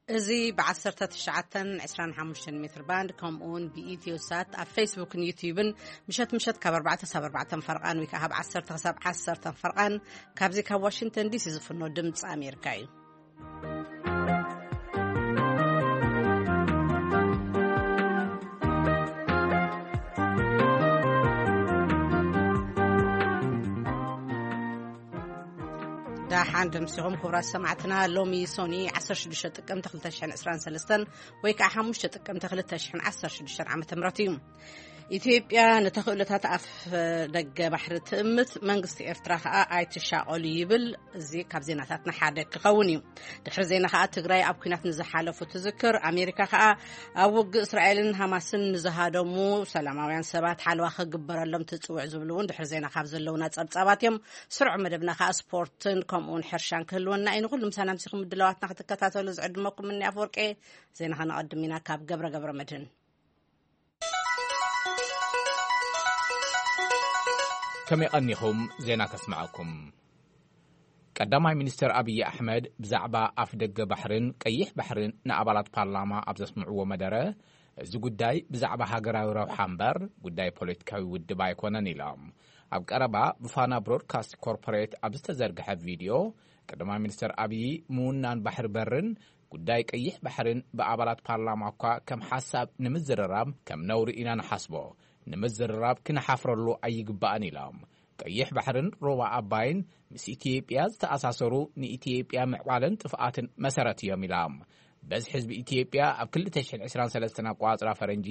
እዚ ብ19 25 ሜትር ባንድ፣ ከምኡውን ብኢትዮ ሳት ኣብ ፌስቡክን ዩቲዩብን ምሸት ምሸት ካብ ኣርባዕተ ክሳብ ኣርባዕተ ፈርቓን ወይ ከዓ ካብ ዓሰርተ ክሳብ ዓሰርተ ፈርቓን ካብዚ ካብ ዋሽንግተን ዲሲ ዝፍኖ ድምፂ ኣሜሪካ እዩ። ዳሓን ደምሲኹም ክቡራት ሰማዕትና። ሎሚ ሶኒ 16 ጥቅምቲ 2023 ወይ ከዓ 5 ጥቅምቲ 2016 ዓመተ ምህረት እዩ። ኢትዮጵያ ንተኽእሎታት ኣፍ ደገ ባሕሪ ትእምት፣ መንግስቲ ኤርትራ ከዓ ኣይትሻቐሉ ይብል። እዚ ካብ ዜናታትና ሓደ ክኸውን እዩ። ድሕሪ ዜና ከዓ ትግራይ ኣብ ኲናት ንዝሓለፉ ትዝክር። ኣሜሪካ ከዓ ኣብ ውግእ እስራኤልን ሃማስን ንዝሃደሙ ሰላማውያን ሰባት ሓለዋ ክግበረሎም ትፅውዕ ዝብሉ እውን ድሕሪ ዜና ካብ ዘለውና ፀብፃባት እዮም። ስሩዕ መደብና ከዓ ስፖርትን ከምኡውን ሕርሻን ክህልወና እዩ። ንኩሉ ምሳና ምሲኹም ምድላዋትና ክትከታተሉ ዝዕድመኩም እኒ ኣፍወርቄ። ዜና ከነቐድም ኢና ካብ ገብረ ገብረ መድህን። ከመይ ቀኒኹም? ዜና ከስምዐኩም። ቀዳማይ ሚኒስትር ኣብይ ኣሕመድ ብዛዕባ ኣፍ ደገ ባሕርን ቀይሕ ባሕርን ንኣባላት ፓርላማ ኣብ ዘስምዕዎ መደረ፣ እዚ ጉዳይ ብዛዕባ ሃገራዊ ረብሓ እምበር ጉዳይ ፖለቲካዊ ውድብ ኣይኮነን ኢሎም። ኣብ ቀረባ ብፋና ብሮድካስት ኮርፖሬት ኣብ ዝተዘርግሐ ቪድዮ፣ ቀዳማይ ሚኒስትር ኣብይ ምውናን ባሕሪ በርን ጉዳይ ቀይሕ ባሕርን ብኣባላት ፓርላማ እኳ ከም ሓሳብ ንምዝርራብ ከም ነውሪ ኢና ንሓስቦ፣ ንምዝርራብ ክንሓፍረሉ ኣይግባእን ኢሎም። ቀይሕ ባሕርን ሩባ ኣባይን ምስ ኢትዮጵያ ዝተኣሳሰሩ ንኢትዮጵያ ምዕባለን ጥፍኣትን መሰረት እዮም ኢሎም። በዝሒ ህዝቢ ኢትዮጵያ ኣብ 2023 ኣቋጽራ ፈረንጂ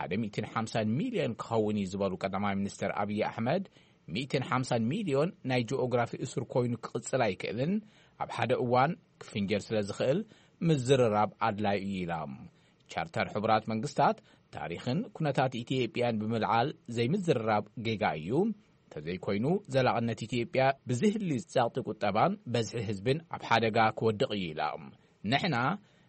150 ሚልዮን ክኸውን እዩ ዝበሉ ቀዳማይ ሚኒስትር ኣብይ ኣሕመድ፣ 150 ሚልዮን ናይ ጂኦግራፊ እሱር ኮይኑ ክቕጽል ኣይክእልን፣ ኣብ ሓደ እዋን ክፍንጀር ስለ ዝኽእል ምዝርራብ ኣድላይ እዩ ኢሎም። ቻርተር ሕቡራት መንግስታት ታሪኽን ኩነታት ኢትዮጵያን ብምልዓል ዘይምዝርራብ ጌጋ እዩ። እንተዘይኮይኑ ዘላቕነት ኢትዮጵያ ብዝህሊ ጸቕጢ ቁጠባን በዝሒ ህዝብን ኣብ ሓደጋ ክወድቕ እዩ ኢሎም። ንሕና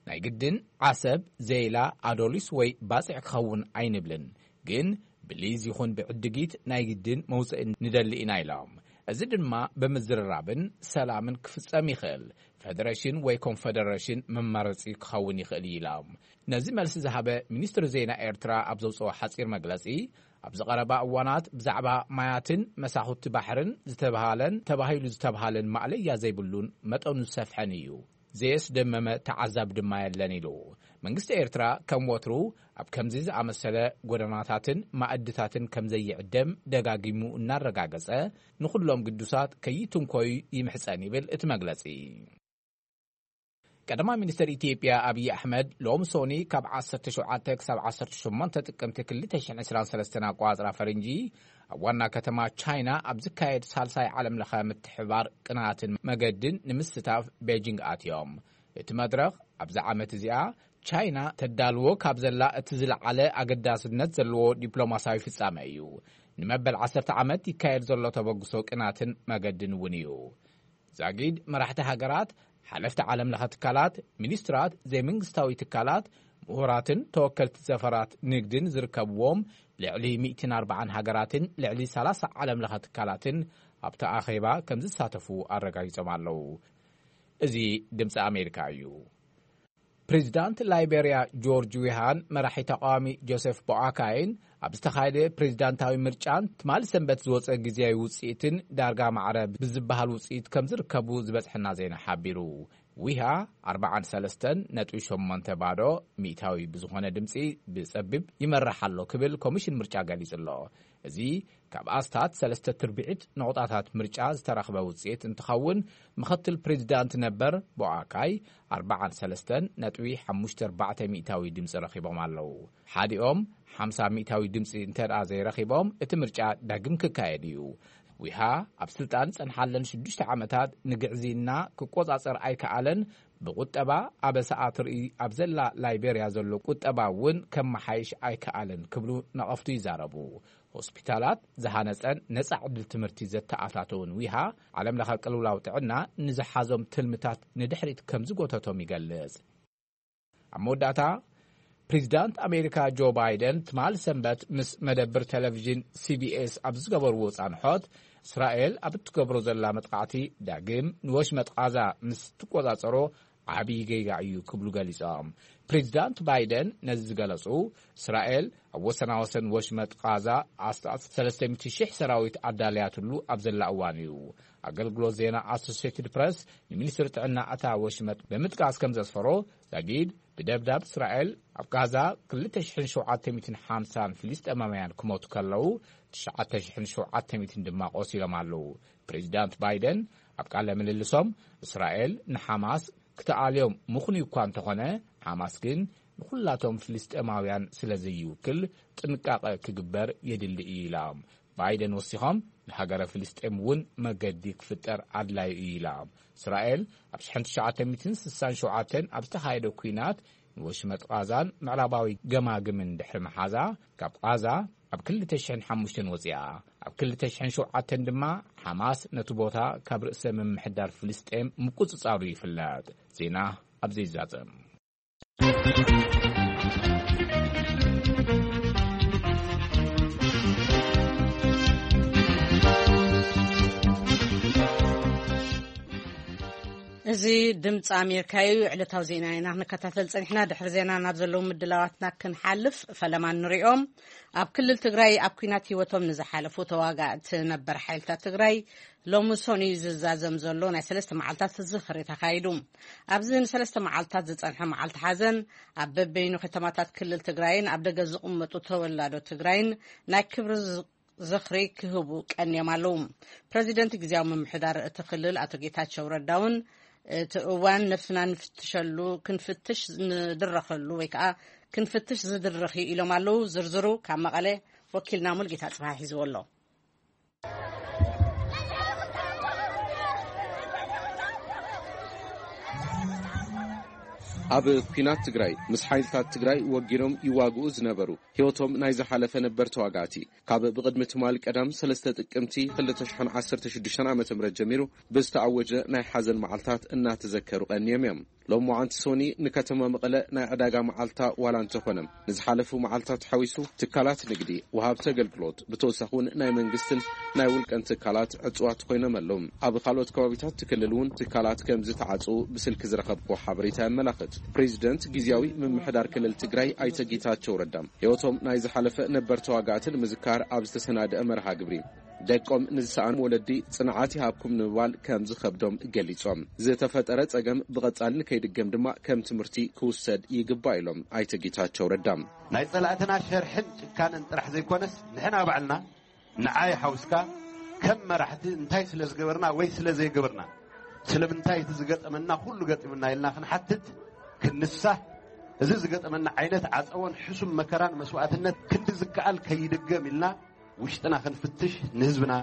ናይ ግድን ዓሰብ፣ ዘይላ፣ ኣዶሊስ ወይ ባጽዕ ክኸውን ኣይንብልን፣ ግን ብሊዝ ይኹን ብዕድጊት ናይ ግድን መውፅኢ ንደሊ ኢና ኢሎም። እዚ ድማ ብምዝርራብን ሰላምን ክፍጸም ይኽእል። ፌደሬሽን ወይ ኮንፌደሬሽን መማረፂ ክኸውን ይኽእል እዩ ኢሎም። ነዚ መልሲ ዝሃበ ሚኒስትሪ ዜና ኤርትራ ኣብ ዘውፅኦ ሓፂር መግለፂ፣ ኣብዚ ቀረባ እዋናት ብዛዕባ ማያትን መሳኹቲ ባሕርን ዝተባሃለን ተባሂሉ ዝተባሃለን ማእለያ ዘይብሉን መጠኑ ዝሰፍሐን እዩ። ዘየስደመመ ተዓዛቢ ድማ የለን ኢሉ። መንግስቲ ኤርትራ ከም ወትሩ ኣብ ከምዚ ዝኣመሰለ ጎደናታትን ማእድታትን ከም ዘይዕደም ደጋጊሙ እናረጋገጸ፣ ንኹሎም ግዱሳት ከይትንኮዩ ይምሕጸን ይብል እቲ መግለጺ። ቀዳማይ ሚኒስተር ኢትዮጵያ ኣብይ ኣሕመድ ሎም ሶኒ ካብ 17 ክሳብ 18 ጥቅምቲ 2023 ኣቋጽራ ፈረንጂ ኣብ ዋና ከተማ ቻይና ኣብ ዝካየድ ሳልሳይ ዓለም ለኸ ምትሕባር ቅናትን መገድን ንምስታፍ ቤጂንግ ኣትዮም። እቲ መድረኽ ኣብዚ ዓመት እዚኣ ቻይና ተዳልዎ ካብ ዘላ እቲ ዝለዓለ ኣገዳስነት ዘለዎ ዲፕሎማሲያዊ ፍጻመ እዩ። ንመበል 10 ዓመት ይካየድ ዘሎ ተበግሶ ቅናትን መገድን እውን እዩ። ዛጊድ መራሕቲ ሃገራት፣ ሓለፍቲ ዓለም ለኸ ትካላት፣ ሚኒስትራት፣ ዘይመንግስታዊ ትካላት፣ ምሁራትን ተወከልቲ ዘፈራት ንግድን ዝርከብዎም ልዕሊ 140 ሃገራትን ልዕሊ 30 ዓለም ለኸ ትካላትን ኣብቲ ኣኼባ ከም ዝሳተፉ ኣረጋጊጾም ኣለዉ። እዚ ድምፂ ኣሜሪካ እዩ። ፕሬዚዳንት ላይቤርያ ጆርጅ ዊሃን መራሒ ተቃዋሚ ጆሴፍ ቦኣካይን ኣብ ዝተኻየደ ፕሬዚዳንታዊ ምርጫን ትማሊ ሰንበት ዝወፀ ግዜያዊ ውፅኢትን ዳርጋ ማዕረ ብዝበሃል ውፅኢት ከም ዝርከቡ ዝበፅሐና ዜና ሓቢሩ። ዊሃ 43.8% ብዝኾነ ድምፂ ብፀቢብ ይመርሕ ኣሎ ክብል ኮሚሽን ምርጫ ገሊጹ ኣሎ። እዚ ካብ ኣስታት ሰለስተ ትርብዒት ነቑጣታት ምርጫ ዝተረኽበ ውፅኢት እንትኸውን፣ ምኽትል ፕሬዚዳንት ነበር ቦኣካይ 43.54% ድምፂ ረኺቦም ኣለዉ። ሓዲኦም 50% ድምፂ እንተ ደኣ ዘይረኺቦም፣ እቲ ምርጫ ዳግም ክካየድ እዩ። ዊሃ ኣብ ስልጣን ዝጸንሓለን ሽዱሽተ ዓመታት ንግዕዝይና ክቆጻጸር ኣይከኣለን፣ ብቁጠባ ኣበሳ ኣትርኢ ኣብ ዘላ ላይቤርያ ዘሎ ቁጠባ እውን ከመሓይሽ ኣይከኣለን ክብሉ ነቐፍቱ ይዛረቡ። ሆስፒታላት ዝሃነጸን ነጻ ዕድል ትምህርቲ ዘተኣታተውን ዊሃ፣ ዓለም ለኸ ቅልውላው ጥዕና ንዝሓዞም ትልምታት ንድሕሪት ከም ዝጎተቶም ይገልጽ። ኣብ መወዳእታ፣ ፕሬዚዳንት ኣሜሪካ ጆ ባይደን ትማል ሰንበት ምስ መደብር ቴሌቪዥን ሲቢኤስ ኣብ ዝገበርዎ ጻንሖት፣ እስራኤል ኣብ እትገብሮ ዘላ መጥቃዕቲ ዳግም ንወሽመጥ ቓዛ ምስ ትቆጻጸሮ ዓብዪ ጌጋ እዩ ክብሉ ገሊጾም። ፕሬዚዳንት ባይደን ነዚ ዝገለጹ፣ እስራኤል ኣብ ወሰናወሰን ወሽመጥ ቃዛ ኣስታት ሰለስተ ሚእቲ ሺሕ ሰራዊት ኣዳልያትሉ ኣብ ዘላ እዋን እዩ። ኣገልግሎት ዜና ኣሶሲየትድ ፕረስ ንሚኒስትሪ ጥዕና እታ ወሽመጥ ብምጥቃስ ከም ዘስፈሮ፣ ዛጊድ ብደብዳብ እስራኤል ኣብ ጋዛ ክልተ ሽሕን ሸውዓተ ሚእትን ሓምሳን ፍልስጤማውያን ክሞቱ ከለዉ፣ ትሽዓተ ሽሕን ሸውዓተ ሚእትን ድማ ቆሲሎም ኣለዉ። ፕሬዚዳንት ባይደን ኣብ ቃለ ምልልሶም፣ እስራኤል ንሓማስ ክትኣልዮም ምኽኑይ እኳ እንተኾነ፣ ሓማስ ግን ንኹላቶም ፍልስጤማውያን ስለ ዘይውክል ጥንቃቐ ክግበር የድሊ እዩ ኢሎም። ባይደን ወሲኾም፣ ንሃገረ ፍልስጤም እውን መገዲ ክፍጠር ኣድላዩ እዩ ኢሎም። እስራኤል ኣብ ሽሕን ትሽዓተ ሚእትን ስሳን ሸውዓተን ኣብ ዝተኻየደ ኲናት ንወሽመጥ ቓዛን ምዕራባዊ ገማግምን ድሕሪ ምሓዛ፣ ካብ ቓዛ ኣብ ክልተ ሽሕን ሓሙሽተን ወጺኣ። ኣብ ክልተ ሽሕን ሸውዓተን ድማ ሓማስ ነቲ ቦታ ካብ ርእሰ ምምሕዳር ፍልስጤም ምቁጽጻሩ ይፍለጥ። ዜና ኣብ ዘይዛዘም። እዚ ድምፂ ኣሜሪካ እዩ። ዕለታዊ ዜና ኢና ክንከታተል ፀኒሕና። ድሕሪ ዜና ናብ ዘለዉ ምድላዋትና ክንሓልፍ ፈለማ ንሪኦም። ኣብ ክልል ትግራይ ኣብ ኲናት ህይወቶም ንዝሓለፉ ተዋጋእቲ ነበር ሓይልታት ትግራይ ሎሚ ሰኑይ ዝዛዘም ዘሎ ናይ ሰለስተ መዓልታት ዝኽሪ ተኻይዱ። ኣብዚ ንሰለስተ መዓልታት ዝጸንሐ መዓልቲ ሓዘን ኣብ በበይኑ ከተማታት ክልል ትግራይን ኣብ ደገ ዝቕመጡ ተወላዶ ትግራይን ናይ ክብሪ ዝ-፣ ዝኽሪ ክህቡ ቀንዮም ኣለዉ። ፕረዚደንት ግዝያዊ ምምሕዳር እቲ ክልል ኣቶ ጌታቸው ረዳ እውን እቲ እዋን ነፍስና ንፍትሸሉ፣ ክንፍትሽ ንድረኸሉ ወይ ከዓ ክንፍትሽ ዝድረኽ እዩ ኢሎም ኣለዉ። ዝርዝሩ ካብ መቐለ ወኪልና ሙልጌታ ጽባሕ ሒዝዎ ኣሎ። ኣብ ኲናት ትግራይ ምስ ሓይልታት ትግራይ ወጊኖም ይዋግኡ ዝነበሩ ህይወቶም ናይ ዝሓለፈ ነበር ተዋጋእቲ፣ ካብ ብቕድሚ ትማል ቀዳም ሰለስተ ጥቅምቲ ክልተ ሽሕን ዓሰርተ ሽዱሽተን ዓመተ ምህረት ጀሚሩ ብዝተኣወጀ ናይ ሓዘን መዓልታት እናተዘከሩ ቀንዮም እዮም። ሎም መዓንቲ ሶኒ ንከተማ መቐለ ናይ ዕዳጋ መዓልታ ዋላ እንተኾነ፣ ንዝሓለፉ መዓልታት ሓዊሱ ትካላት ንግዲ፣ ወሃብቲ ኣገልግሎት፣ ብተወሳኺ እውን ናይ መንግስትን ናይ ውልቀን ትካላት ዕጹዋት ኮይኖም ኣለዉ። ኣብ ካልኦት ከባቢታት እቲ ክልል እውን ትካላት ከም ዝተዓጽዉ ብስልኪ ዝረኸብኩ ሓበሬታ የመላኽት። ፕሬዚደንት ግዝያዊ ምምሕዳር ክልል ትግራይ ኣይተ ጌታቸው ረዳ፣ ህይወቶም ናይ ዝሓለፈ ነበር ተዋጋእቲ ንምዝካር ኣብ ዝተሰናደአ መርሃ ግብሪ፣ ደቆም ንዝሰኣኑ ወለዲ ጽንዓት ይሃብኩም ንምባል ከም ዝኸብዶም ገሊጾም። ዝተፈጠረ ጸገም ብቐጻሊ ንከይድገም ድማ ከም ትምህርቲ ክውሰድ ይግባእ ኢሎም ኣይተ ጌታቸው ረዳ። ናይ ጸላእትና ሸርሕን ጭካነን ጥራሕ ዘይኮነስ፣ ንሕና ባዕልና ንዓይ ሓውስካ ከም መራሕቲ እንታይ ስለ ዝገበርና ወይ ስለ ዘይገበርና፣ ስለምንታይ እቲ ዝገጠመና ኩሉ ገጢሙና ኢልና ክንሓትት፣ ክንሳህ፣ እዚ ዝገጠመና ዓይነት ዓጸቦን ሕሱም መከራን መስዋእትነት ክንዲ ዝከኣል ከይድገም ኢልና ውሽጥና ክንፍትሽ ንህዝብና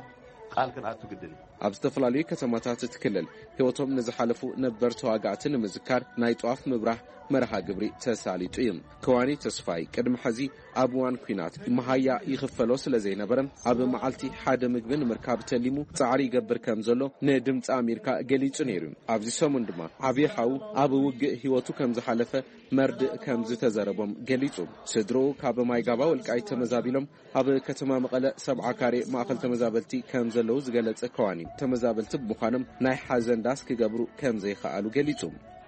ቃል ክንኣቱ ግድን እዩ። ኣብ ዝተፈላለዩ ከተማታት እቲ ክልል ህይወቶም ንዝሓለፉ ነበር ተዋጋእቲ ንምዝካር ናይ ጧፍ ምብራህ መርሃ ግብሪ ተሳሊጡ እዩ። ከዋኒ ተስፋይ ቅድሚ ሕዚ ኣብ እዋን ኲናት መሃያ ይኽፈሎ ስለ ዘይነበረ፣ ኣብ መዓልቲ ሓደ ምግቢ ንምርካብ ተሊሙ ጻዕሪ ይገብር ከም ዘሎ ንድምፂ ኣሜሪካ ገሊጹ ነይሩ። ኣብዚ ሰሙን ድማ ዓብዪ ሓው ኣብ ውግእ ህይወቱ ከም ዝሓለፈ መርድእ ከም ዝተዘረቦም ገሊጹ። ስድርኡ ካብ ማይጋባ ወልቃይት ተመዛቢሎም ኣብ ከተማ መቐለ ሰብዓ ካሬ ማእኸል ተመዛበልቲ ከም ዘለዉ ዝገለጸ ከዋኒ፣ ተመዛበልቲ ብምዃኖም ናይ ሓዘን ዳስ ክገብሩ ከም ዘይኸኣሉ ገሊጹ።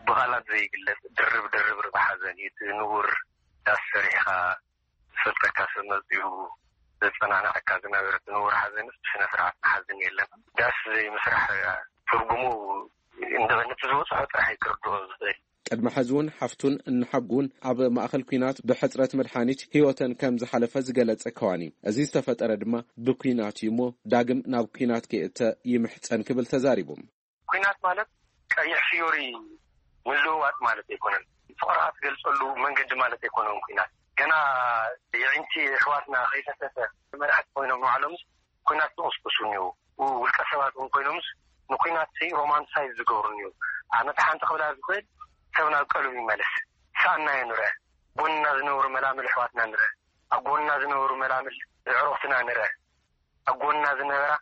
ብቓላት ዘይግለጽ ድርብ ድርብ ርባ ሓዘን እዩ። እቲ ንቡር ዳስ ሰሪሕኻ ዝፈልጠካ ሰብ መጺኡ ዘጸናንዓካ ዝነበረ እቲ ንቡር ሓዘንስ ብስነ ስርዓት ንሓዝን የለን። ዳስ ዘይምስራሕ ትርጉሙ እንደ-፣ ነቲ ዝበጽሖ ጥራሕ እዩ ክርድኦ ዝኽእል። ቅድሚ ሕዚ እውን ሓፍቱን እንሓጉን ኣብ ማእኸል ኲናት ብሕፅረት መድሓኒት ህይወተን ከም ዝሓለፈ ዝገለጸ ከዋኒ፣ እዚ ዝተፈጠረ ድማ ብኲናት እዩ እሞ ዳግም ናብ ኲናት ከይእተ ይምሕጸን ክብል ተዛሪቡ። ኲናት ማለት ቀይሕ ፍዮሪ ምልውዋጥ ማለት ኣይኮነን። ፍቕርኻ ትገልጸሉ መንገዲ ማለት ኣይኮነን ኲናት። ገና የዒንቲ ኣሕዋትና ከይፈሰሰ መራሕቲ ኮይኖም ንባዕሎምስ ኲናት ዝቕስቅሱ እኒው። ውልቀ ሰባት እውን ኮይኖምስ ንኲናት ሲ ሮማንሳይዝ ዝገብሩ እኒው። ኣነ እቲ ሓንቲ ክብላ ዝኽእል ሰብ ናብ ቀልቡ ይመለስ። ሰኣናዮ ንርአ። ጎንና ዝነበሩ መላምል ኣሕዋትና ንርአ። ኣብ ጎንና ዝነበሩ መላምል ኣዕሩኽትና ንርአ። ኣብ ጎንና ዝነበራ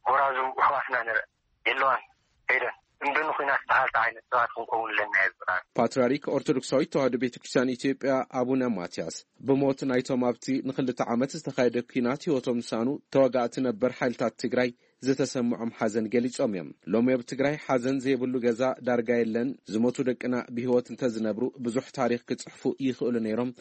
ጎራዙ ኣሕዋትና ንርአ። የለዋን ከይደን እምቢ ንኹናት በሃልቲ ዓይነት ሰባት ክንከውን ኣለና እየ ዝብል። ፓትርያርክ ኦርቶዶክሳዊት ተዋህዶ ቤተ ክርስቲያን ኢትዮጵያ ኣቡነ ማትያስ ብሞት ናይቶም ኣብቲ ንክልተ ዓመት ዝተኻየደ ኲናት ህይወቶም ዝሰኣኑ ተዋጋእቲ ነበር ሓይልታት ትግራይ ዝተሰምዖም ሓዘን ገሊጾም እዮም። ሎሚ ኣብ ትግራይ ሓዘን ዘይብሉ ገዛ ዳርጋ የለን። ዝሞቱ ደቅና ብህይወት እንተዝነብሩ ብዙሕ ታሪኽ ክጽሕፉ ይኽእሉ ነይሮም።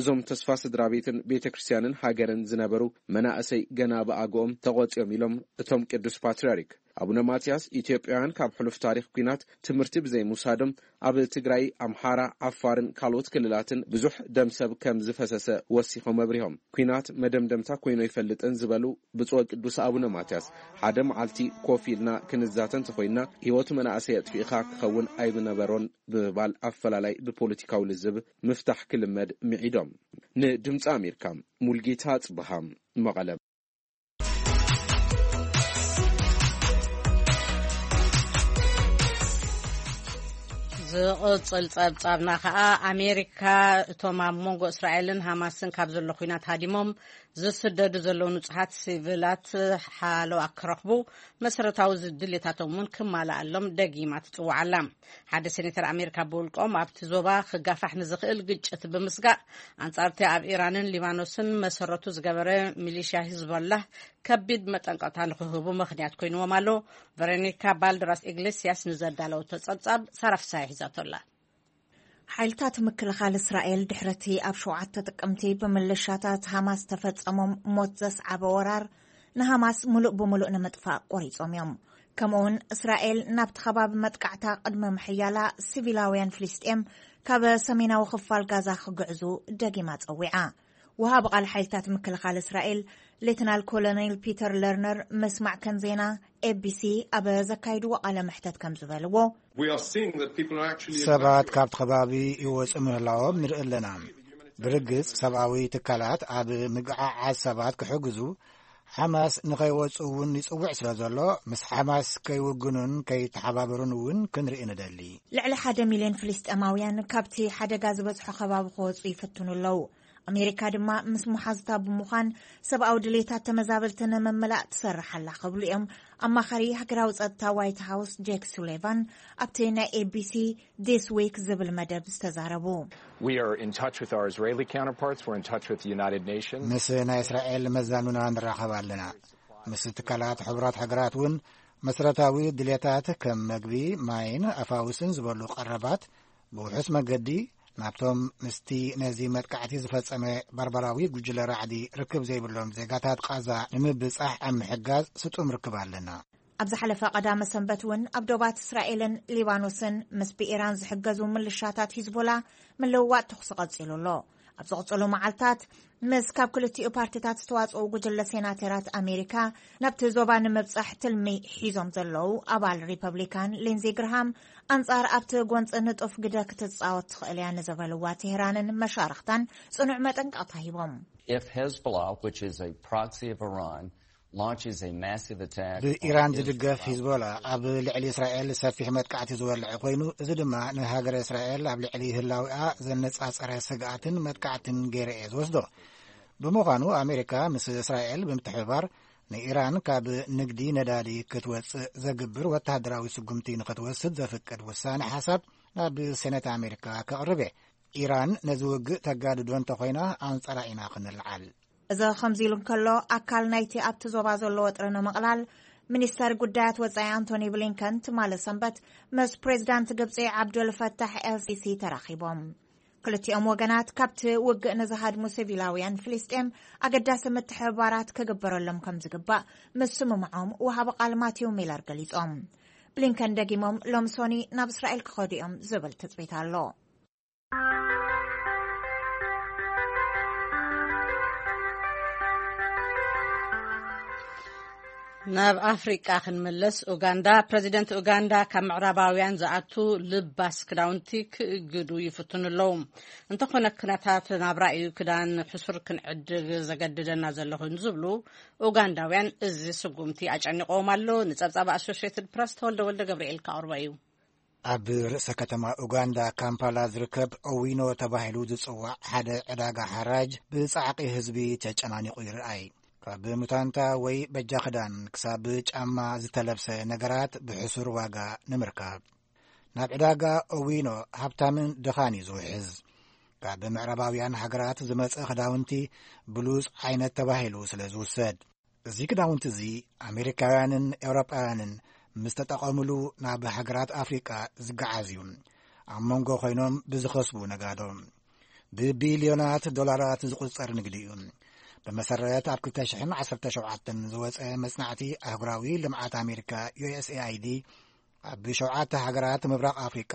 እዞም ተስፋ ስድራ ቤትን ቤተ ክርስቲያንን ሃገርን ዝነበሩ መናእሰይ ገና ብኣግኦም ተቖጽዮም ኢሎም እቶም ቅዱስ ፓትርያርክ። ኣቡነ ማትያስ ኢትዮጵያውያን ካብ ሕሉፍ ታሪኽ ኲናት ትምህርቲ ብዘይምውሳዶም ኣብ ትግራይ፣ ኣምሓራ፣ ዓፋርን ካልኦት ክልላትን ብዙሕ ደም ሰብ ከም ዝፈሰሰ ወሲኾም ኣብሪሆም። ኲናት መደምደምታ ኮይኑ ኣይፈልጥን ዝበሉ ብፁዕ ቅዱስ ኣቡነ ማትያስ፣ ሓደ መዓልቲ ኮፍ ኢልና ክንዛተ እንተኾይንና ህይወት መናእሰይ ኣጥፊእኻ ክኸውን ኣይምነበሮን ብምባል ኣፈላላይ ብፖለቲካዊ ልዝብ ምፍታሕ ክልመድ ምዒዶም። ንድምፂ ኣሜሪካ ሙልጌታ ጽብሃ መቐለ። ዝቕጽል ጸብጻብና ከኣ ኣሜሪካ እቶም ኣብ መንጎ እስራኤልን ሃማስን ካብ ዘሎ ኲናት ሃዲሞም ዝስደዱ ዘለዉ ንጹሃት ሲቪላት ሓለዋ ክረኽቡ መሰረታዊ ድሌታቶም እውን ክማልኣሎም ደጊማ ትጽውዓላ። ሓደ ሴኔተር ኣሜሪካ ብውልቆም ኣብቲ ዞባ ክጋፋሕ ንዝኽእል ግጭት ብምስጋእ ኣንጻርቲ ኣብ ኢራንን ሊባኖስን መሰረቱ ዝገበረ ሚሊሽያ ሂዝቦላህ ከቢድ መጠንቀቕታ ንክህቡ ምኽንያት ኮይንዎም ኣሎ። ቨሮኒካ ባልደራስ ኢግሌሲያስ ንዘዳለወቶ ጸብጻብ ሳራ ፍሳሐ ሒዛቶ ኣላ። ሓይልታት ምክልኻል እስራኤል ድሕረቲ ኣብ ሸውዓተ ጥቅምቲ ብምልሻታት ሃማስ ተፈጸሞም ሞት ዘስዓበ ወራር ንሃማስ ምሉእ ብምሉእ ንምጥፋእ ቆሪጾም እዮም። ከምኡውን እስራኤል ናብቲ ከባቢ መጥቃዕታ ቅድሚ ምሕያላ ሲቪላውያን ፍልስጤም ካብ ሰሜናዊ ክፋል ጋዛ ክግዕዙ ደጊማ ጸዊዓ። ወሃቢ ቃል ሓይልታት ምክልኻል እስራኤል ሌትናል ኮሎኔል ፒተር ለርነር ምስ ማዕከን ዜና ኤቢሲ ኣብ ዘካይድዎ ቃለ መሕተት ከም ዝበልዎ፣ We are seeing that people are actually ሰባት ካብቲ ከባቢ ይወፁ ምህላዎም ንርኢ ኣለና። ብርግፅ ሰብኣዊ ትካላት ኣብ ምግዓዓዝ ሰባት ክሕግዙ ሓማስ ንኸይወፁ እውን ይፅውዕ ስለ ዘሎ ምስ ሓማስ ከይውግኑን ከይተሓባበሩን እውን ክንርኢ ንደሊ። ልዕሊ ሓደ ሚልዮን ፍልስጤማውያን ካብቲ ሓደጋ ዝበዝሖ ከባቢ ክወፁ ይፍትኑ ኣለዉ። ኣሜሪካ ድማ ምስ መሓዙታ ብምዃን ሰብኣዊ ድሌታት ተመዛበልቲ ንምምላእ ትሰርሕ ኣላ ክብሉ እዮም ኣማኻሪ ሃገራዊ ጸጥታ ዋይት ሃውስ ጄክ ሱሌቫን ኣብቲ ናይ ኤቢሲ ዲስ ዊክ ዝብል መደብ ዝተዛረቡ። We are in touch with our Israeli counterparts. We're in touch with the United Nations. ምስ ናይ እስራኤል መዛኑና ንራኸብ ኣለና። ምስ ትካላት ሕቡራት ሃገራት እውን መሰረታዊ ድሌታት ከም መግቢ፣ ማይን ኣፋውስን ዝበሉ ቀረባት ብውሑስ መገዲ ናብቶም ምስቲ ነዚ መጥቃዕቲ ዝፈጸመ ባርባራዊ ጉጅለ ራዕዲ ርክብ ዘይብሎም ዜጋታት ቃዛ ንምብጻሕ ኣብ ምሕጋዝ ስጡም ርክብ ኣለና። ኣብ ዝሓለፈ ቀዳመ ሰንበት እውን ኣብ ዶባት እስራኤልን ሊባኖስን ምስ ብኢራን ዝሕገዙ ምልሻታት ሂዝቦላ ምልውዋጥ ተኹሲ ቀጺሉ ኣሎ። ኣብ ዝቕጽሉ መዓልታት ምስ ካብ ክልቲኡ ፓርቲታት ዝተዋጽኡ ጉጅለ ሴናተራት ኣሜሪካ ናብቲ ዞባ ንምብጻሕ ትልሚ ሒዞም ዘለዉ ኣባል ሪፐብሊካን ሊንዚ ግርሃም ኣንጻር ኣብቲ ጎንጺ ንጡፍ ግደ ክትጻወት ትኽእል እያ ንዘበልዋ ቴህራንን መሻርኽታን ጽኑዕ መጠንቀቕታ ሂቦም። If Hezbollah, which is a proxy of Iran, launches a massive attack on ብኢራን Israel ዝድገፍ ሂዝቦላ ኣብ ልዕሊ እስራኤል ሰፊሕ መጥቃዕቲ ዝወልዐ ኮይኑ፣ እዚ ድማ ንሃገረ እስራኤል ኣብ ልዕሊ ህላዊኣ ዘነጻጸረ ስግኣትን መጥቃዕትን ገይረ እየ ዝወስዶ። ብምዃኑ ኣሜሪካ ምስ እስራኤል ብምትሕብባር ንኢራን ካብ ንግዲ ነዳዲ ክትወጽእ ዘግብር ወተሃደራዊ ስጉምቲ ንኽትወስድ ዘፍቅድ ውሳነ ሓሳብ ናብ ሴኔት ኣሜሪካ ከቕርብ እየ። ኢራን ነዚ ውግእ ተጋድዶ እንተኾይና ኣንጻራ ኢና ክንልዓል። እዚ ከምዚ ኢሉ እንከሎ፣ ኣካል ናይቲ ኣብቲ ዞባ ዘሎ ወጥሪ ንምቕላል፣ ሚኒስተር ጉዳያት ወጻኢ ኣንቶኒ ብሊንከን ትማሊ ሰንበት ምስ ፕሬዚዳንት ግብጺ ዓብዱል ፈታሕ ኤልሲሲ ተራኺቦም። ክልቲኦም ወገናት ካብቲ ውግእ ንዝሃድሙ ሲቪላውያን ፍልስጤም ኣገዳሲ ምትሕብባራት ክግበረሎም ከም ዝግባእ ምስምምዖም ወሃቢ ቃል ማቲው ሚለር ገሊጾም። ብሊንከን ደጊሞም ሎም ሶኒ ናብ እስራኤል ክኸዱ እዮም ዝብል ትጽቢት ኣሎ። ናብ ኣፍሪቃ ክንምለስ፣ ኡጋንዳ፣ ፕረዚደንት ኡጋንዳ ካብ ምዕራባውያን ዝኣቱ ልባስ ክዳውንቲ ክእግዱ ይፍትኑ ኣለዉ። እንተኾነ፣ ኩነታት ናብራ እዩ ክዳን ሕሱር ክንዕድግ ዘገድደና ዘሎ ኮይኑ ዝብሉ ኡጋንዳውያን፣ እዚ ስጉምቲ ኣጨኒቕዎም ኣሎ። ንጸብጻብ ኣሶሽየትድ ፕረስ ተወልደ ወልደ ገብርኤል ከቕርቦ እዩ። ኣብ ርእሰ ከተማ ኡጋንዳ ካምፓላ ዝርከብ ኦዊኖ ተባሂሉ ዝጽዋዕ ሓደ ዕዳጋ ሓራጅ ብጻዕቂ ህዝቢ ተጨናኒቑ ይርኣይ። ካብ ሙታንታ ወይ በጃ ክዳን ክሳብ ጫማ ዝተለብሰ ነገራት ብሕሱር ዋጋ ንምርካብ ናብ ዕዳጋ ኦዊኖ ሃብታምን ድኻን እዩ ዝውሕዝ። ካብ ምዕራባውያን ሃገራት ዝመጸ ክዳውንቲ ብሉጽ ዓይነት ተባሂሉ ስለ ዝውሰድ። እዚ ክዳውንቲ እዚ ኣሜሪካውያንን ኤውሮጳውያንን ምስ ተጠቐሙሉ ናብ ሃገራት ኣፍሪቃ ዝገዓዝ እዩ። ኣብ መንጎ ኮይኖም ብዝኸስቡ ነጋዶ ብቢልዮናት ዶላራት ዝቑጸር ንግዲ እዩ። ብመሰረት ኣብ ክልተ ሽሕን ዓሰርተ ሸውዓተን ዝወጸ መጽናዕቲ ኣህጉራዊ ልምዓት ኣሜሪካ፣ ዩ ኤስ ኤ ኣይ ዲ፣ ኣብ ሸውዓተ ሃገራት ምብራቕ ኣፍሪቃ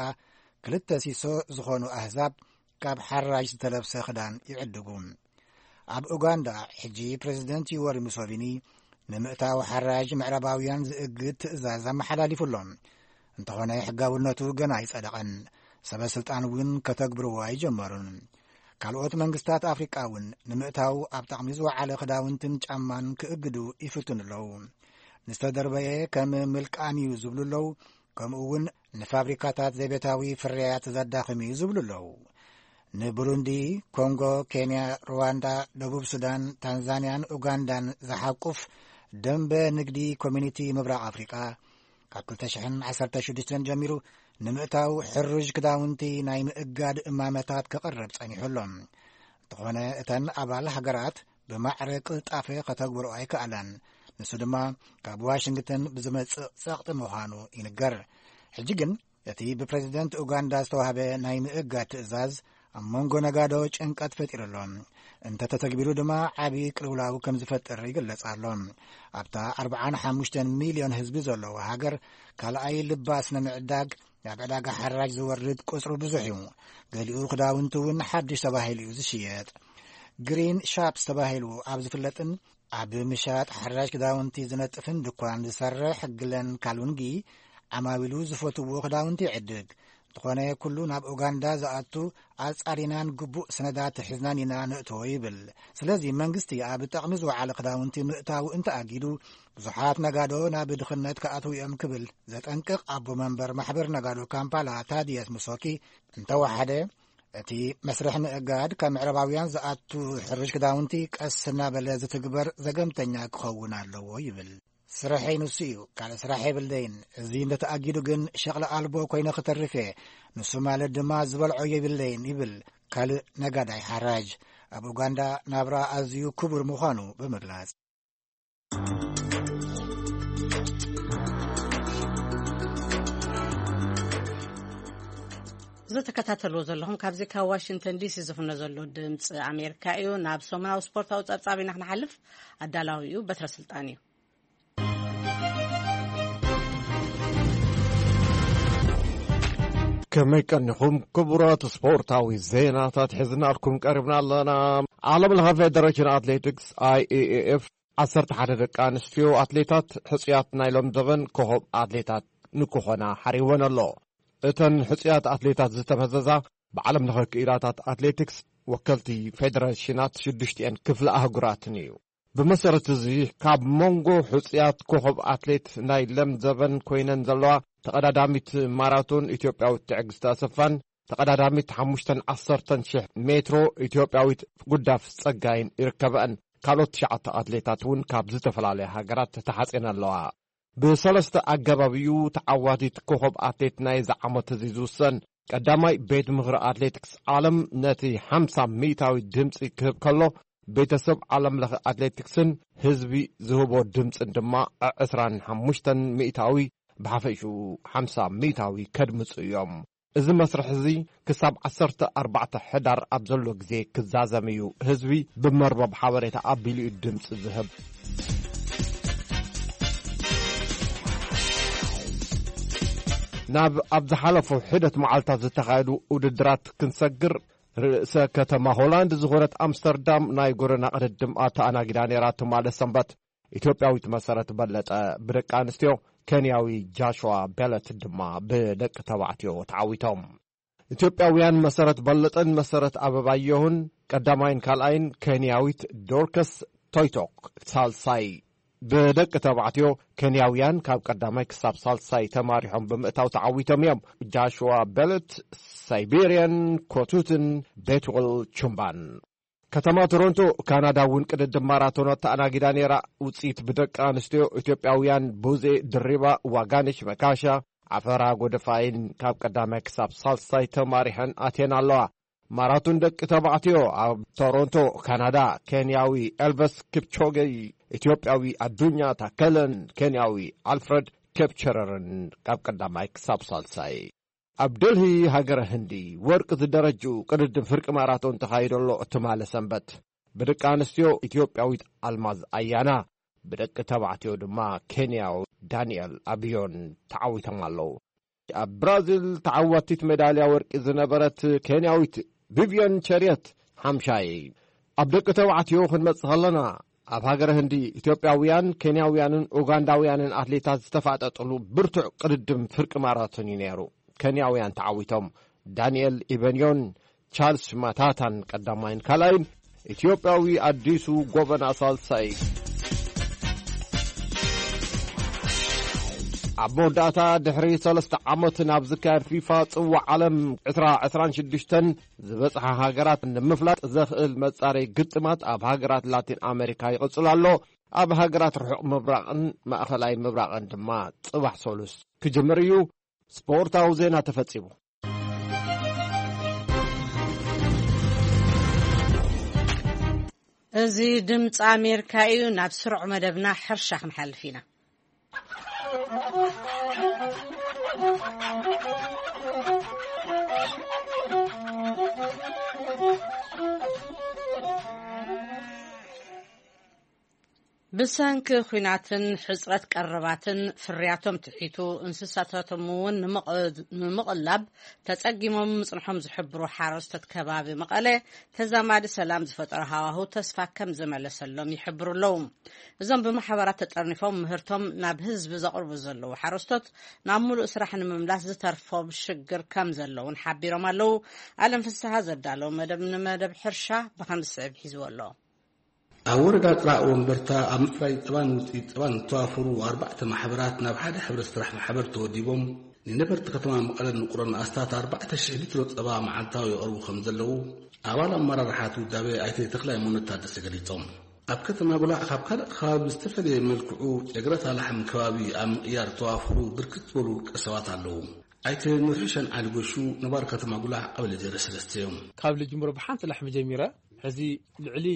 ክልተ ሲሶ ዝኾኑ ኣህዛብ ካብ ሓራጅ ዝተለብሰ ክዳን ይዕድጉ። ኣብ ኡጋንዳ ሕጂ ፕሬዚደንት ዩወሪ ሙሶቪኒ ንምእታው ሓራጅ ምዕራባውያን ዝእግድ ትእዛዝ ኣመሓላሊፉ ኣሎ። እንተኾነ ሕጋውነቱ ገና ኣይጸደቐን። ሰበ ስልጣን እውን ከተግብርዎ ኣይጀመሩን። ካልኦት መንግስታት ኣፍሪቃ እውን ንምእታው ኣብ ጥቕሚ ዝወዓለ ክዳውንትን ጫማን ክእግዱ ይፍትኑ ኣለዉ። ንዝተደርበየ ከም ምልቃም እዩ ዝብሉ ኣለዉ። ከምኡ እውን ንፋብሪካታት ዘቤታዊ ፍርያት ዘዳኽም እዩ ዝብሉ ኣለዉ። ንቡሩንዲ፣ ኮንጎ፣ ኬንያ፣ ሩዋንዳ፣ ደቡብ ሱዳን፣ ታንዛንያን ኡጋንዳን ዝሓቁፍ ደንበ ንግዲ ኮሚኒቲ ምብራቕ ኣፍሪቃ ካብ ክልተ ሽሕን ዓሰርተ ሽዱሽተን ጀሚሩ ንምእታው ሕሩዥ ክዳውንቲ ናይ ምእጋድ እማመታት ክቐርብ ጸኒሑ ኣሎ። እንተኾነ እተን ኣባል ሃገራት ብማዕረ ቅልጣፈ ከተግብርኦ ኣይከኣላን። ንሱ ድማ ካብ ዋሽንግተን ብዝመጽእ ጸቕጢ ምዃኑ ይንገር። ሕጂ ግን እቲ ብፕሬዚደንት ኡጋንዳ ዝተዋህበ ናይ ምእጋድ ትእዛዝ ኣብ መንጎ ነጋዶ ጭንቀት ፈጢሩ ኣሎ። እንተተተግቢሩ ድማ ዓቢ ቅልውላው ከም ዝፈጥር ይግለጽ ኣሎ። ኣብታ ኣርብዓን ሓሙሽተን ሚልዮን ህዝቢ ዘለዋ ሃገር ካልኣይ ልባስ ንምዕዳግ ናብ ዕዳጋ ሓራጅ ዝወርድ ቁጽሩ ብዙሕ እዩ። ገሊኡ ክዳውንቲ እውን ሓድሽ ተባሂሉ እዩ ዝሽየጥ። ግሪን ሻፕስ ተባሂሉ ኣብ ዝፍለጥን ኣብ ምሻጥ ሓራጅ ክዳውንቲ ዝነጥፍን ድኳን ዝሰርሕ ግለን ካልውንጊ ዓማዊሉ ዝፈትዎ ክዳውንቲ ይዕድግ። እንተኾነ ኩሉ ናብ ኡጋንዳ ዝኣቱ ኣጻሪናን ግቡእ ሰነዳት ሒዝናን ኢና ንእትዎ ይብል። ስለዚ መንግስቲ ኣብ ጠቕሚ ዝወዓለ ክዳውንቲ ምእታው እንተኣጊዱ ብዙሓት ነጋዶ ናብ ድኽነት ክኣትዉ እዮም ክብል ዘጠንቅቕ ኣቦ መንበር ማሕበር ነጋዶ ካምፓላ ታዲየስ ሙሶኪ እንተወሓደ እቲ መስርሕ ምእጋድ ካብ ምዕራባውያን ዝኣቱ ሕርሽ ክዳውንቲ ቀስ እናበለ ዝትግበር ዘገምተኛ ክኸውን ኣለዎ ይብል። ስርሐይ ንሱ እዩ፣ ካልእ ስራሕ የብለይን። እዚ እንተተኣጊዱ ግን ሸቕሊ ኣልቦ ኮይነ ክተርፍ እየ። ንሱ ማለት ድማ ዝበልዖ የብለይን ይብል ካልእ ነጋዳይ ሓራጅ። ኣብ ኡጋንዳ ናብራ ኣዝዩ ክቡር ምዃኑ ብምግላጽ። ዝተከታተልዎ ዘለኹም ካብዚ ካብ ዋሽንግተን ዲሲ ዝፍኖ ዘሎ ድምፂ ኣሜሪካ እዩ። ናብ ሰሙናዊ ስፖርታዊ ፀብፃብ ኢና ክንሓልፍ። ኣዳላዊ እዩ በትረ ስልጣን እዩ። ከመይ ቀኒኹም ክቡራት ስፖርታዊ ዜናታት ሒዝናልኩም ቀሪብና ኣለና። ዓለም ለኸ ፌደሬሽን ኣትሌቲክስ፣ ኣይ ኤ ኤ ኤፍ፣ ዓሰርተ ሓደ ደቂ ኣንስትዮ ኣትሌታት ሕጹያት ናይ ሎም ዘበን ኮኸብ ኣትሌታት ንክኾና ሓሪወን ኣሎ። እተን ሕጹያት ኣትሌታት ዝተመዘዛ ብዓለም ለኸ ክኢላታት ኣትሌቲክስ ወከልቲ ፌደሬሽናት ሽዱሽቲኤን ክፍለ ኣህጉራትን እዩ። ብመሰረት እዚ ካብ መንጎ ሕጹያት ኮኸብ ኣትሌት ናይ ለም ዘበን ኮይነን ዘለዋ ተቐዳዳሚት ማራቶን ኢትዮጵያዊት ትዕግስቲ ኣሰፋን ተቐዳዳሚት ሓሙሽተን ዓሰርተን ሽሕ ሜትሮ ኢትዮጵያዊት ጉዳፍ ጸጋይን ይርከበአን። ካልኦት ትሽዓተ ኣትሌታት እውን ካብ ዝተፈላለያ ሃገራት ተሓጺን ኣለዋ። ብሰለስተ ኣገባብ እዩ ተዓዋቲት ኮኸብ ኣትሌት ናይዚ ዓመት እዚ ዝውሰን። ቀዳማይ፣ ቤት ምኽሪ ኣትሌቲክስ ዓለም ነቲ ሓምሳ ሚእታዊ ድምፂ ክህብ ከሎ፣ ቤተሰብ ዓለም ለኸ ኣትሌቲክስን ህዝቢ ዝህቦ ድምፅን ድማ ዕስራን ሓሙሽተን ሚእታዊ፣ ብሓፈሽኡ ሓምሳ ሚእታዊ ከድምፁ እዮም። እዚ መስርሕ እዚ ክሳብ ዓሰርተ ኣርባዕተ ሕዳር ኣብ ዘሎ ግዜ ክዛዘም እዩ። ህዝቢ ብመርበብ ሓበሬታ ኣቢሉ እዩ ድምፂ ዝህብ። ናብ ኣብ ዝሓለፉ ሒደት መዓልታት ዝተኻየዱ ውድድራት ክንሰግር፣ ርእሰ ከተማ ሆላንድ ዝኾነት ኣምስተርዳም ናይ ጎደና ቅድድም ኣተኣናጊዳ ነይራ ትማሊ ሰንበት። ኢትዮጵያዊት መሰረት በለጠ ብደቂ ኣንስትዮ፣ ኬንያዊ ጃሽዋ ቤለት ድማ ብደቂ ተባዕትዮ ተዓዊቶም። ኢትዮጵያውያን መሰረት በለጠን መሰረት ኣበባየሁን ቀዳማይን ካልኣይን፣ ኬንያዊት ዶርከስ ቶይቶክ ሳልሳይ። ብደቂ ተባዕትዮ፣ ኬንያውያን ካብ ቀዳማይ ክሳብ ሳልሳይ ተማሪሖም ብምእታው ተዓዊቶም እዮም። ጃሽዋ ቤለት፣ ሳይቤሪያን ኮቱትን ቤትወል ቹምባን። ከተማ ቶሮንቶ፣ ካናዳ እውን ቅድድም ማራቶን ኣተኣናጊዳ ነይራ። ውፅኢት ብደቂ ኣንስትዮ ኢትዮጵያውያን ቡዜ ድሪባ፣ ዋጋነሽ መካሻ፣ ዓፈራ ጎደፋይን ካብ ቀዳማይ ክሳብ ሳልሳይ ተማሪሐን ኣትየን ኣለዋ። ማራቶን ደቂ ተባዕትዮ ኣብ ቶሮንቶ፣ ካናዳ፣ ኬንያዊ ኤልቨስ ኪፕቾገይ ኢትዮጵያዊ ኣዱኛ ታከለን ኬንያዊ ኣልፍረድ ኬፕቸረርን ካብ ቀዳማይ ክሳብ ሳልሳይ። ኣብ ደልሂ ሃገረ ህንዲ ወርቂ ዝደረጁ ቅድድም ፍርቂ ማራቶን ተኻይዶ ኣሎ። ትማሊ ሰንበት ብደቂ ኣንስትዮ ኢትዮጵያዊት ኣልማዝ ኣያና፣ ብደቂ ተባዕትዮ ድማ ኬንያዊ ዳንኤል ኣብዮን ተዓዊቶም ኣለዉ። ኣብ ብራዚል ተዓዋቲት ሜዳልያ ወርቂ ዝነበረት ኬንያዊት ቪቪዮን ቸርየት ሓምሻይ። ኣብ ደቂ ተባዕትዮ ክንመጽእ ከለና፣ ኣብ ሃገረ ህንዲ ኢትዮጵያውያን፣ ኬንያውያንን ኡጋንዳውያንን ኣትሌታት ዝተፋጠጥሉ ብርቱዕ ቅድድም ፍርቂ ማራቶን እዩ ነይሩ። ኬንያውያን ተዓዊቶም፣ ዳንኤል ኢበንዮን ቻርልስ ማታታን ቀዳማይን ካልኣይን፣ ኢትዮጵያዊ ኣዲሱ ጎበና ሳልሳይ። ኣብ መወዳእታ፣ ድሕሪ ሰለስተ ዓመት ናብ ዝካየድ ፊፋ ጽዋዕ ዓለም ዕስራ ዕስራን ሽዱሽተን ዝበጽሓ ሃገራት ንምፍላጥ ዘኽእል መጻረይ ግጥማት ኣብ ሃገራት ላቲን ኣሜሪካ ይቕጽል ኣሎ። ኣብ ሃገራት ርሑቕ ምብራቕን ማእኸላይ ምብራቕን ድማ ጽባሕ ሰሉስ ክጅምር እዩ። ስፖርታዊ ዜና ተፈጺሙ። እዚ ድምፂ ኣሜሪካ እዩ። ናብ ስሩዕ መደብና ሕርሻ ክንሓልፍ ኢና። ብሰንኪ ኲናትን ሕጽረት ቀረባትን ፍርያቶም ትሒቱ፣ እንስሳታቶም እውን ንምቕ-፣ ንምቕላብ ተጸጊሞም ምጽንሖም ዝሕብሩ ሓረስቶት ከባቢ መቐለ፣ ተዛማዲ ሰላም ዝፈጠሮ ሃዋህው ተስፋ ከም ዘመለሰሎም ይሕብሩ ኣለዉ። እዞም ብማሕበራት ተጠርኒፎም ምህርቶም ናብ ህዝቢ ዘቕርቡ ዘለዉ ሓረስቶት፣ ናብ ሙሉእ ስራሕ ንምምላስ ዝተርፎም ሽግር ከም ዘለውን ሓቢሮም ኣለዉ። ኣለም ፍስሃ ዘዳለዉ መደብ ንመደብ ሕርሻ ብኸም ዝስዕብ ሒዝዎ ኣሎ። ኣብ ወረዳ ጥራእ ወንበርታ ኣብ ምፍራይ ጸባን ውጽኢት ጸባን ዝተዋፈሩ ኣርባዕተ ማሕበራት ናብ ሓደ ሕብረት ስራሕ ማሕበር ተወዲቦም፣ ንነበርቲ ከተማ መቐለን ውቅሮን ኣስታት ኣርባዕተ ሽሕ ሊትሮ ጸባ መዓልታዊ የቕርቡ ከም ዘለዉ ኣባል ኣመራርሓ እቲ ውዳበ ኣይተ ተኽላይ ሞነት ታደሰ ገሊጾም። ኣብ ከተማ ጉላዕ ካብ ካልእ ከባቢ ብዝተፈለየ መልክዑ ጨግረት ኣላሕም ከባቢ ኣብ ምቕያር ዝተዋፈሩ ብርክት ዝበሉ ውልቀ ሰባት ኣለዉ። ኣይተ ኑርሕሸን ዓሊ ጎሹ ነባር ከተማ ጉላዕ ቀበሌ ዜሮ ሰለስተ እዮም። ካብ ልጅምሮ ብሓንቲ ላሕሚ ጀሚረ፣ ሕዚ ልዕሊ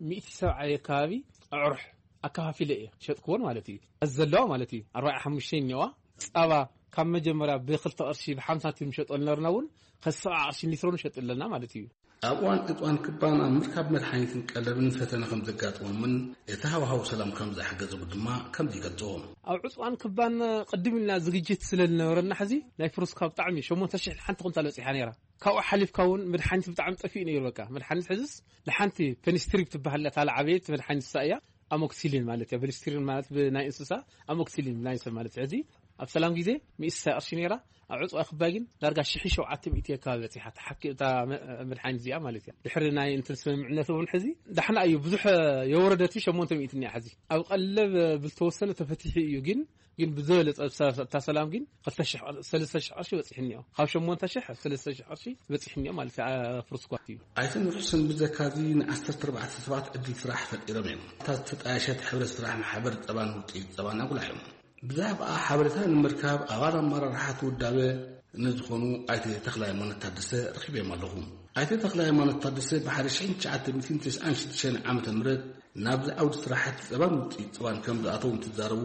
ሚእቲ ሰብዓ ኣካባቢ ኣዕሩሕ ኣከፋፊለ እየ ሸጥክዎን ማለት እዩ። እዚ ዘለዋ ማለት እዩ ኣርባዓ ሓሙሽተ እኒዋ። ጸባ ካብ መጀመርያ ብክልተ ቅርሺ ብሓምሳ ሳንቲም ንሸጦ ዝነበርና እውን ከዚ ሰብዓ ቅርሺ ሊትሮ ንሸጥ ኣለና ማለት እዩ። ኣብ እዋን ዕፅዋን ክባን ኣብ ምርካብ መድሓኒትን ቀለብን ፈተነ ከም ዘጋጥሞምን እቲ ሃዋህው ሰላም ከም ዘሓገዘሉ ድማ ከምዚ ይገልፅዎ። ኣብ ዕፅዋን ክባን ቅድም ኢልና ዝግጅት ስለ ዝነበረና ሕዚ ናይ ፍሩስካ ብጣዕሚ ሸሞንተ ሽሕ ሓንቲ ኩንታል በፂሓ ነይራ። ካብኡ ሓሊፍካ እውን መድሓኒት ብጣዕሚ ጠፊኡ ነይሩ። በቃ መድሓኒት ሕዝስ ንሓንቲ ፔኒስትሪፕ ትበሃል እያ፣ እታ ዝዓበየት መድሓኒት እሳ እያ። ኣሞክሲሊን ማለት እያ። ፔኒስትሪን ማለት ብናይ እንስሳ፣ ኣሞክሲሊን ናይ ሰብ ማለት እዩ። ሕዚ ኣብ ሰላም ግዜ ሚእቲ ቅርሺ ነይራ፣ ኣብ ዕፅዋ ክባይ ግን ዳርጋ ሽሕ ሸውዓተ ሚእቲ ከባቢ በፂሓ። ተሓኪ እታ መ-፣ መድሓኒት እዚኣ ማለት እያ። ድሕሪ ናይ እንትን ስምምዕነት እውን ሕዚ ዳሕና እዩ፣ ብዙሕ የወረደት ሸሞንተ ሚእቲ እኒኣ። ሕዚ ኣብ ቀለብ ብዝተወሰነ ተፈቲሑ እዩ፣ ግን ግን ብዝበለጸ እታ ሰላም ግን ክልተ ሽሕ ቅር-፣ ሰለስተ ሽሕ ቅርሺ በጺሑ እኒኦ። ካብ ሸሞንተ ሽሕ ኣብ ሰለስተ ሽሕ ቅርሺ በጺሑ እኒኦ ማለት እዩ፣ አ-፣ ፍሩስኳት እዩ። ኣይተ ኑርሕሰን ብዘካዚ ንዓሰርተ ኣርባዕተ ሰባት ዕድል ስራሕ ፈጢሮም እዮም። እታ ዝተጣየሸት ሕብረት ስራሕ ማሕበር ጸባን ውጽኢት ጸባን ኣጉላሕ እዮም። ብዛዕባ ሓበሬታ ንምርካብ ኣባል ኣመራርሓ እቲ ውዳበ ንዝኾኑ ኣይተ ተኽለ ሃይማኖት ታደሰ ረኺበዮም ኣለኹ። ኣይተ ተኽለ ሃይማኖት ታደሰ ብሓደ ሽሕን ትሽዓተ ሚእትን ተስዓን ሽዱሽተን ዓመተ ምህረት ናብዚ ዓውዲ ስራሕቲ ጸባን ውጽኢት ጸባን ከም ዝኣተዉ እንትዛረቡ፣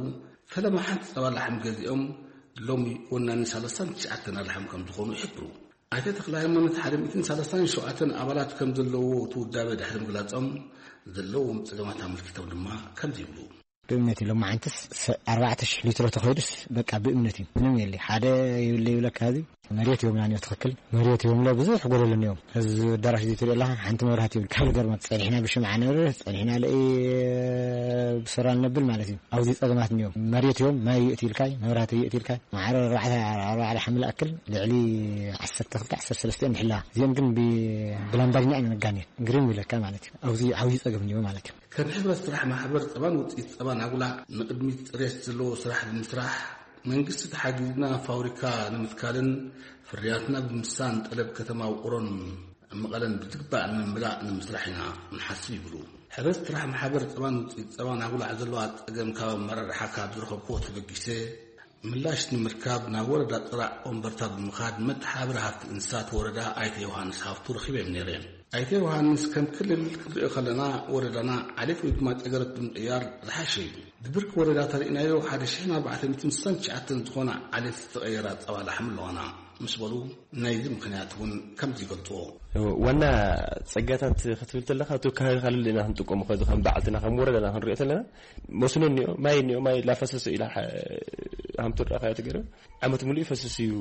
ፈለማ ሓንቲ ጸባ ላሕሚ ገዚኦም ሎሚ ወናኒ ሰላሳን ትሽዓተን ኣላሕም ከም ዝኾኑ ይሕብሩ። ኣይተ ተኽለ ሃይማኖት ሓደ ሚእትን ሰላሳን ሸውዓተን ኣባላት ከም ዘለውዎ እቲ ውዳበ ድሕሪ ምግላጾም፣ ዘለዎም ጸገማት ኣመልኪቶም ድማ ከምዚ ይብሉ። ብእምነት እዩ። ሎማዓንትስ ሰ-፣ ኣርባዕተ ሽሕ ሊትሮ ተኸይዱስ በቃ ብእምነት እዩ። ምንም የለ። ሓደ ይብለ ይብለካ፣ እዚ መሬት ይብልና እኒኦ፣ ትኽክል መሬት ይብለ፣ ብዙሕ ጎደሎ እኒኦ። እዚ ኣዳራሽ እዚ ትሪኦ ኣለኻ፣ ሓንቲ መብራህቲ ይብል። ካብ ገርመት ጸኒሕና ብሽምዓ ነብርህ፣ ጸኒሕና ለኢ ብሶላር ነብል ማለት እዩ። ኣብዚ ጸገማት እኒኦ። መሬት እዮም፣ ማይ ይእቲ ኢልካይ፣ መብራህቲ ይእቲ ኢልካይ። ማዕረ ኣርባዕተ፣ ኣርባዕተ ሓምለ ኣክል ልዕሊ ዓሰርተ ክልተ፣ ዓሰርተ ሰለስተ እዮም ዝሕላ። እዚኦም ግን ብ-፣ ብላምባዲና ኢና ነጋንየን። ግርም ይብለካ ማለት እዩ። ኣብዚ ዓብዪ ጸገም እኒኦ ማለት እዩ። ከም ሕብረት ስራሕ ማሕበር ጸባን ውጽኢት ጸባን ኣጉላዕ ንቕድሚት ጽሬት ዘለዎ ስራሕ ብምስራሕ፣ መንግስቲ ተሓጊዝና ፋብሪካ ንምትካልን ፍርያትና ብምስሳን ጠለብ ከተማ ውቕሮን መቐለን ብዝግባእ ንምምላእ ንምስራሕ ኢና ንሓስብ ይብሉ። ሕብረት ስራሕ ማሕበር ጸባን ውጽኢት ጸባን ኣጉላዕ ዘለዋ ጸገም ካብ ኣመራርሓ ካብ ዝረኸብክዎ ተበጊሰ ምላሽ ንምርካብ ናብ ወረዳ ጥራዕ ወንበርታ ብምኻድ መተሓባበሪ ሃፍቲ እንስሳት ወረዳ ኣይተ ዮሃንስ ሃፍቱ ረኺበዮም ነይረ። ኣይተ ዮሃንስ፣ ከም ክልል ክንሪኦ ከለና፣ ወረዳና ዓሌት ወይ ድማ ጨገረት ብምቕያር ዝሓሸ እዩ። ብብርኪ ወረዳ ተሪእናዮ፣ ሓደ ሽሕን ኣርባዕተ ሚእትን ስሳን ትሽዓተን ዝኾና ዓሌት ዝተቐየራ ጸባ ላሕሚ ኣለዋና ምስ በሉ፣ ናይዚ ምኽንያት እውን ከምዚ ይገልጽዎ። ዋና ጸጋታት ክትብል ተለኻ፣ እቲ ከባቢ ካልእ ኢና ክንጥቀሞ፣ ከዚ ከም በዓልትና ከም ወረዳና ክንሪኦ ተለና፣ መስኖ እኒኦ፣ ማይ እኒኦ፣ ማይ ላፈሰሰ ኢላ ሓ-፣ ሃምቶ ርኣኻዮ ትገርም። ዓመት ሙሉእ ይፈስስ እዩ።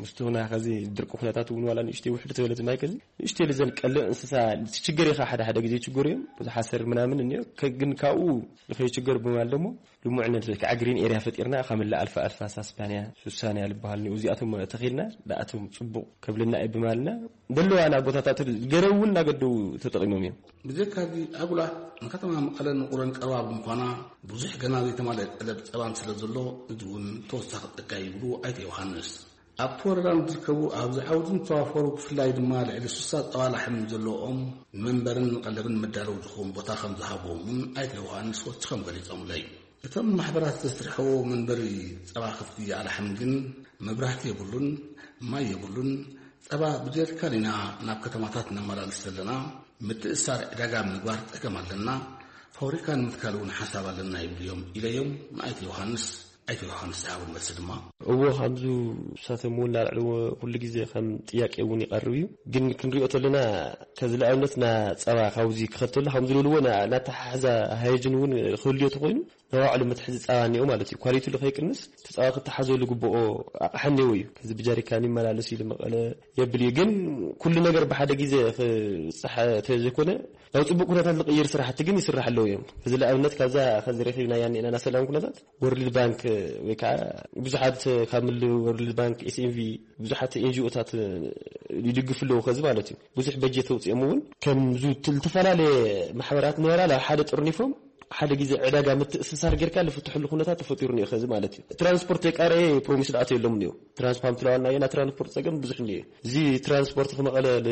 ምስቲ ናይ ከዚ ድርቂ ኩነታት እውን ዋላ ንእሽተይ ውሕድ ተበለት ማይ ከዚ ንእሽተይ ልዘን ቀልዕ እንስሳ ትችገር ኢኻ። ሓደ ሓደ ግዜ ይችገሩ እዮም። እዚ ሓሰር ምናምን እኒኦ። ከ-፣ ግን ካብኡ ንኸይችገር ብምባል ደሞ ልሙዕነት ወይ ከዓ ግሪን ኤርያ ፈጢርና ካብ መላእ ኣልፋ ኣልፋ ሳስባንያ ሱሳንያ ልበሃል እኒኦ። እዚኣቶም ተኺልና ንኣቶም ጽቡቕ ከብልና እዩ ብምባልና ደለዋና ቦታታት ገረው እውን እናገደው ተጠቒሞም እዮም። ብዘይካዚ ኣጉላ ንከተማ መቐለን ውቕሮን ቀረባ ብምዃና ብዙሕ ገና ዘይተማልአ ጠለብ ጸባን ስለ ዘሎ እዚ እውን ተወሳኺ ጸጋ ይብሉ ኣይተ ዮሃንስ። ኣብቲ ወረዳ ንዝርከቡ ኣብዚ ዓውዲ ዝተዋፈሩ ብፍላይ ድማ ልዕሊ ስሳ ጸባ ላሕሚ ዘለዎም ንመንበርን ንቐለብን መዳለዊ ዝኸውን ቦታ ከም ዝሃብዎም እውን ኣይተ ዮሃንስ ወሲኾም ገሊጾምለይ። እቶም ማሕበራት ዘስርሕዎ መንበሪ ጸባ ከፍቲ ኣላሕም ግን መብራህቲ የብሉን፣ ማይ የብሉን። ጸባ ብጀሪካን ኢና ናብ ከተማታት ነመላልስ ዘለና። ምትእሳር ዕዳጋ ምግባር ጸገም ኣለና። ፋብሪካ ንምትካል እውን ሓሳብ ኣለና ይብሉ እዮም ኢለዮም ንኣይተ ዮሃንስ። ኣይተ ዮሃንስ ዝሃቡ መልሲ ድማ እዎ፣ ከምዚ ንሳቶም እውን እናልዕልዎ ኩሉ ግዜ ከም ጥያቄ እውን ይቐርብ እዩ። ግን ክንሪኦ ተለና ከዚ ንኣብነት ና ጸባ ካብዚ ክኸተሉ ከም ዝልልዎ ና-፣ ናተሓሕዛ ሃይጅን እውን ክህልዮ ተኾይኑ ንባዕሉ መትሓዚ ጸባ እኒኦ ማለት እዩ። ኳሊቲሉ ከይቅንስ እቲ ጸባ ክተሓዘሉ ግብኦ ኣቕሓ እኒኦ እዩ። ከዚ ብጀሪካን ይመላለስ ኢሉ መቐለ የብል እዩ። ግን ኩሉ ነገር ብሓደ ግዜ ክብጻሕ ተዘይኮነ ናብ ጽቡቕ ኩነታት ዝቕይር ስራሕቲ ግን ይስራሕ ኣለዉ እዮም። እዚ ንኣብነት ካብዛ ከዚ ረኺብናያ እኒአና ሰላም ኩነታት ወርልድ ባንክ ወይ ከዓ ብዙሓት ካብ ምል ወርልድ ባንክ፣ ኤስ ኤን ቪ፣ ብዙሓት ኤን ጂ ኦታት ይድግፉ ኣለዉ። ከዚ ማለት እዩ ብዙሕ በጀት ተውፅኦም እውን ከም ዙ-፣ ት-፣ ዝተፈላለየ ማሕበራት ነበራ ናብ ሓደ ጥርኒፎም ሓደ ግዜ ዕዳጋ ምትእስሳር ጌርካ ዝፍትሕሉ ኩነታት ተፈጢሩ እኒኦ። ከዚ ማለት እዩ ትራንስፖርት የቃረየ ፕሮሚስ ዝኣተየሎም እኒኦ። ትራንስፖርት ትለዋና የና ትራንስፖርት ጸገም ብዙሕ እኒኦ። እዚ ትራንስፖርት ከመቐለ ል-፣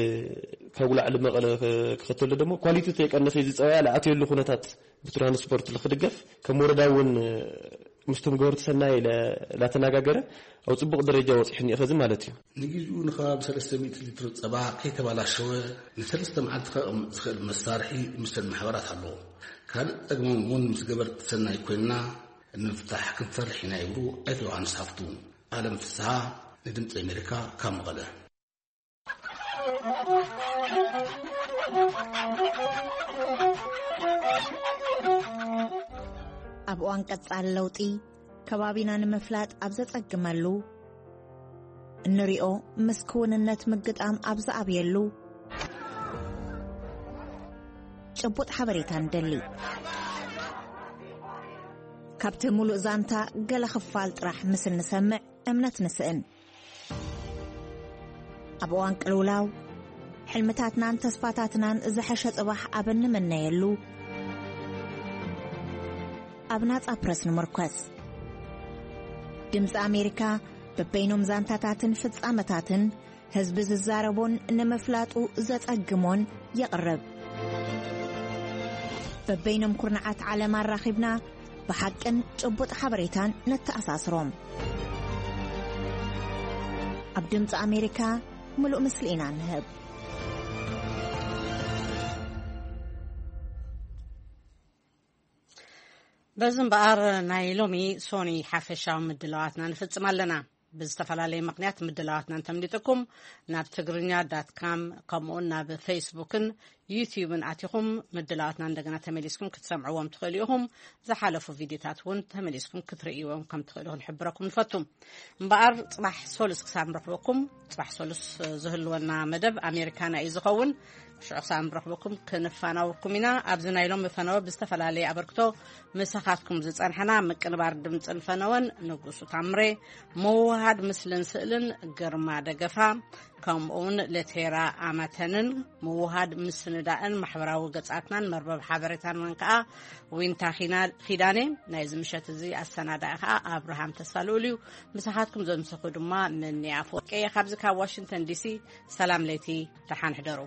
ካብ ጉላዕ ልመቐለ ከ-፣ ክኸተሎ ደግሞ ኳሊቲ ተይቀነሰ እዚ ጸባያ ዝኣተየሉ ኩነታት ብትራንስፖርት ልክድገፍ ከም ወረዳ እውን ምስቶም ገበርቲ ሰናይ ለ-፣ ላተነጋገረ ኣብ ጽቡቕ ደረጃ ወጺሑ እኒኦ። ከዚ ማለት እዩ። ንግዜኡ ንከባቢ ሰለስተ ሚእቲ ሊትሮ ጸባ ከይተባላሸወ ንሰለስተ መዓልቲ ከቕምጥ ዝኽእል መሳርሒ ምስተን ማሕበራት ኣለዎ። ካልእ ጸገሞም እውን ምስ ገበርቲ ሰናይ ኮይንና ንምፍታሕ ክንሰርሕ ኢና ይብሉ ኣይተ ዮሃንስ ሃፍቱ። ኣለም ፍስሃ ንድምፂ ኣሜሪካ ካብ መቐለ። ኣብ እዋን ቀጻሊ ለውጢ ከባቢና ንምፍላጥ ኣብ ዘጸግመሉ፣ እንሪኦ ምስ ክውንነት ምግጣም ኣብ ዝኣብየሉ፣ ጭቡጥ ሓበሬታ ንደሊ። ካብቲ ሙሉእ ዛንታ ገለ ክፋል ጥራሕ ምስ እንሰምዕ እምነት ንስእን። ኣብ እዋን ቅልውላው፣ ሕልምታትናን ተስፋታትናን ዝሐሸ ጽባሕ ኣብ እንምነየሉ፣ ኣብ ናጻ ፕረስ ንምርኮስ። ድምጺ ኣሜሪካ በበይኖም ዛንታታትን ፍጻመታትን ህዝቢ ዝዛረቦን ንምፍላጡ ዘጸግሞን የቕርብ። በበይኖም ኩርናዓት ዓለም ኣራኺብና ብሓቅን ጭቡጥ ሓበሬታን ነተኣሳስሮም። ኣብ ድምፂ ኣሜሪካ ምሉእ ምስሊ ኢና ንህብ። በዚ እምበኣር ናይ ሎሚ ሶኒ ሓፈሻዊ ምድላዋትና ንፍጽም ኣለና። ብዝተፈላለየ ምኽንያት ምድላዋትና እንተምሊጥኩም ናብ ትግርኛ ዳት ካም ከምኡውን ናብ ፌስቡክን ዩትዩብን ኣቲኹም ምድላዋትና እንደገና ተመሊስኩም ክትሰምዕዎም ትኽእሉ ኢኹም። ዝሓለፉ ቪድዮታት እውን ተመሊስኩም ክትርእይዎም ከም ትኽእሉ ክንሕብረኩም ንፈቱ። እምበኣር ጽባሕ ሶሉስ ክሳብ ንረኽበኩም፣ ጽባሕ ሶሉስ ዝህልወና መደብ ኣሜሪካና እዩ ዝኸውን። ሽዑ ክሳብ ንረኽበኩም ክንፋናወኩም ኢና። ኣብዚ ናይ ሎሚ ፈነወ ብዝተፈላለየ ኣበርክቶ ምሳኻትኩም ዝጸንሐና ምቅንባር ድምጽን ፈነወን ንጉሱ ታምሬ፣ ምውሃድ ምስልን ስእልን ግርማ ደገፋ፣ ከምኡውን ለቴራ ኣማተንን ምውሃድ ምስንዳእን ማሕበራዊ ገጻትናን መርበብ ሓበሬታናን ከኣ ዊንታ ኺና-፣ ኺዳኔ፣ ናይዚ ምሸት እዚ ኣሰናዳኢ ከኣ ኣብርሃም ተስፋ ልኡል እዩ። ምሳኻትኩም ዘምሰኹ ድማ ምኒ ኣፈወርቂ እየ። ካብዚ ካብ ዋሽንግተን ዲሲ ሰላም ለይቲ፣ ደሓን ሕደሩ።